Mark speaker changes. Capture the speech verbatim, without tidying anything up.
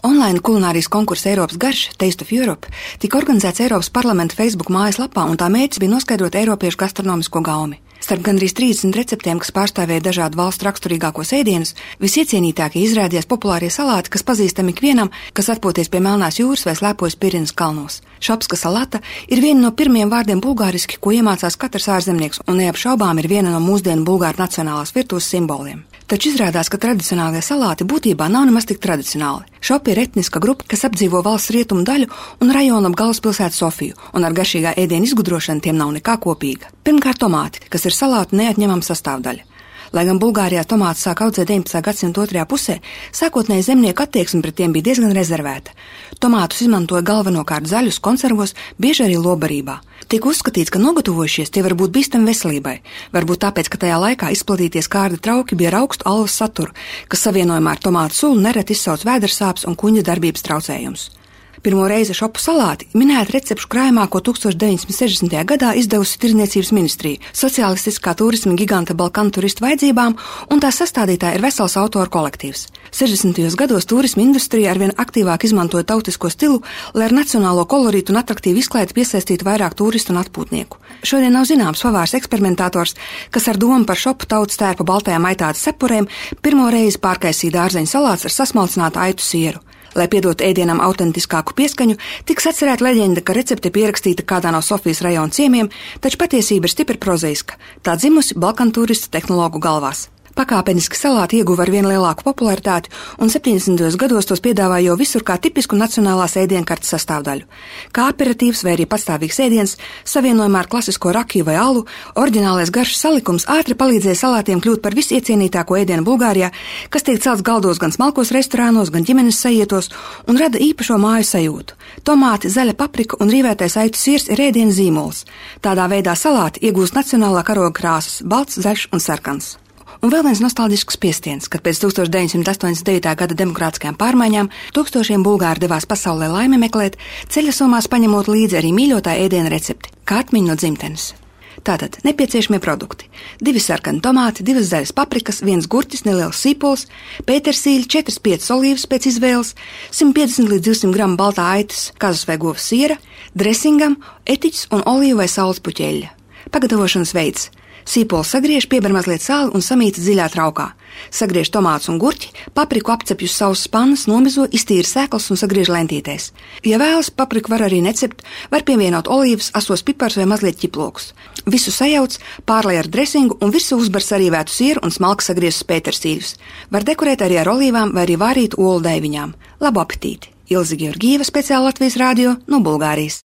Speaker 1: Online kulinārijas konkurss Eiropas garš, Taste of Europe, tika organizēts Eiropas parlamenta Facebook mājaslapā, un tā mērķis bija noskaidrot eiropiešu gastronomisko gaumi. Starp gandrīz trīsdesmit receptēm, kas pārstāvēja dažādu valstu raksturīgākos ēdienus, visiecienītākie izrādījās populārie salāti, kas pazīstami ikvienam, kas atpūties pie Melnās jūras vai slēpojas Pirinas kalnos. Šopska salata ir viena no pirmiem vārdiem bulgāriski, ko iemācās katrs ārzemnieks, un neapšaubām ir viena no mūsdienu bulgāru nacionālās virtuves simboliem. Taču izrādās, ka tradicionālie salāti būtībā nav nemaz tik tradicionāli. Šopi ir etniska grupa, kas apdzīvo valsts rietumu daļu un rajonu ap galvaspilsētu Sofiju, un ar garšīgā ēdiena izgudrošanu tiem nav nekā kopīga. Pirmkārt, tomāti, kas ir salātu neatņemama sastāvdaļa. Lai gan Bulgārijā tomātus sāk audzēt deviņpadsmitā gadsimta otrajā pusē, sākotnēji zemnieku attieksme pret tiem bija diezgan rezervēta. Tomātus izmantoja galvenokārt zaļus konservos, bieži arī lobarībā. Tiek uzskatīts, ka nogatavojušies tie var būt bīstami veselībai, varbūt tāpēc, ka tajā laikā izplatīties kārda trauki bija ar augstu alvas saturu, kas savienojumā ar tomātu sulu nereti izsauc vēdersāpes un kuņģa darbības traucējumus. Pirmo reizi šopu salāti minēta recepšu krājumā, ko tūkstoš deviņsimt sešdesmitajā gadā izdevusi Tirdzniecības ministrija, sociālistiskā turisma giganta Balkanu turistu vajadzībām, un tās sastādītāji ir vesels autoru kolektīvs. sešdesmitajos gados turisma industrija arvien aktīvāk izmantoja tautisko stilu, lai ar nacionālo kolorītu un atraktīvu izklaidi piesaistītu vairāk turistu un atpūtnieku. Šodien nav zināms pavārs eksperimentators, kas ar domu par šopu tautas tērpa baltajām aitātes cepurēm pirmo reizi pārkaisīja dārzeņu salāts ar sasmalcinātu aitu sieru. Lai piedotu ēdienam autentiskāku pieskaņu, tiks atcerēta leģenda, ka recepte pierakstīta kādā no Sofijas rajona ciemiemiem, taču patiesība ir stipri prozaiska. Tā dzimusi Balkanu turistu tehnologu galvās. Pakāpeniski salāti ieguva ar vien lielāku popularitāti, un septiņdesmitajos gados tos piedāvāja jau visur kā tipisku nacionālās ēdienkartes sastāvdaļu. Kā aperitīvs vai arī pastāvīgs ēdiens, savienojumā ar klasisko rakiju vai alu, oriģinālais garšas salikums ātri palīdzēja salātiem kļūt par visiecienītāko ēdienu Bulgārijā, kas tiek celts galdos gan smalkos restorānos, gan ģimenes sajietos, un rada īpašo māju sajūtu. Tomāti, zaļa paprika un rīvētais aitu siers ir ēdiena zīmols. Tādā veidā salāti iegūst nacionālā karoga krāsas – balts, zaļš un sarkans. Un vēl viens nostalģisks piestiens, kad pēc tūkstoš deviņsimt astoņdesmit devītā gada demokrātiskajām pārmaiņām tūkstošiem bulgāri devās pasaulē laimi meklēt, ceļa somās paņemot līdzi arī mīļotā ēdiena recepti, kā atmiņu no dzimtenes. Tātad nepieciešamie produkti – divi sarkani tomāti, divas zaļas paprikas, viens gurķis, neliels sīpols, pētersīļi, četras piecas olīvas pēc izvēles, simt piecdesmit līdz divsimt gramu baltā aitas, kazas vai govs siera, dresingam, etiķis un olīvu vai saules puķeļa. Pagatavošanas veids – sīpolu sagriež, pieber mazliet sāli un samīta dziļā traukā. Sagriež tomātus un gurķi, papriku apcepj uz sausas pannas, nomizo, iztīra sēklas un sagriež lentītēs. Ja vēlas, papriku var arī necept, var pievienot olīvas, asos pipars vai mazliet ķiplokus. Visu sajauc, pārlej ar dresingu un virsū uzbar sarīvētu sieru un smalki sagrieztus pētersīļus. Var dekorēt arī ar olīvām vai arī vārītu olu daiviņām. Labu apetīti! Ilze Georgieva, speciāli Latvijas radio no Bulgārijas.